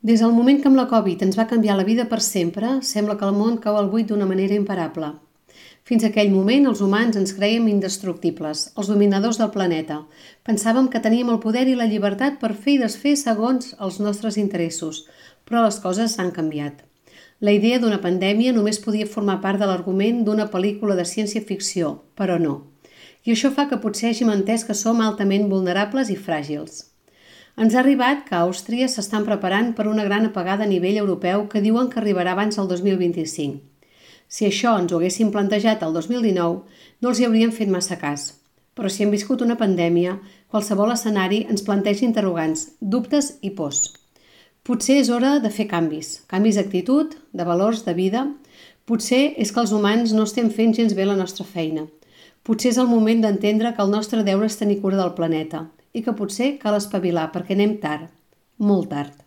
Des del moment que amb la Covid ens va canviar la vida per sempre, sembla que el món cau al buit d'una manera imparable. Fins a aquell moment, els humans ens crèiem indestructibles, els dominadors del planeta. Pensàvem que teníem el poder i la llibertat per fer i desfer segons els nostres interessos, però les coses han canviat. La idea d'una pandèmia només podia formar part de l'argument d'una pel·lícula de ciència-ficció, però no. I això fa que potser hàgim entès que som altament vulnerables i fràgils. Ens ha arribat que a Àustria s'estan preparant per una gran apagada a nivell europeu que diuen que arribarà abans del 2025. Si això ens ho haguéssim plantejat el 2019, no els hi hauríem fet massa cas. Però si hem viscut una pandèmia, qualsevol escenari ens planteja interrogants, dubtes i pors. Potser és hora de fer canvis d'actitud, de valors, de vida. Potser és que els humans no estem fent gens bé la nostra feina. Potser és el moment d'entendre que el nostre deure és tenir cura del planeta i que potser cal espavilar perquè anem tard, molt tard.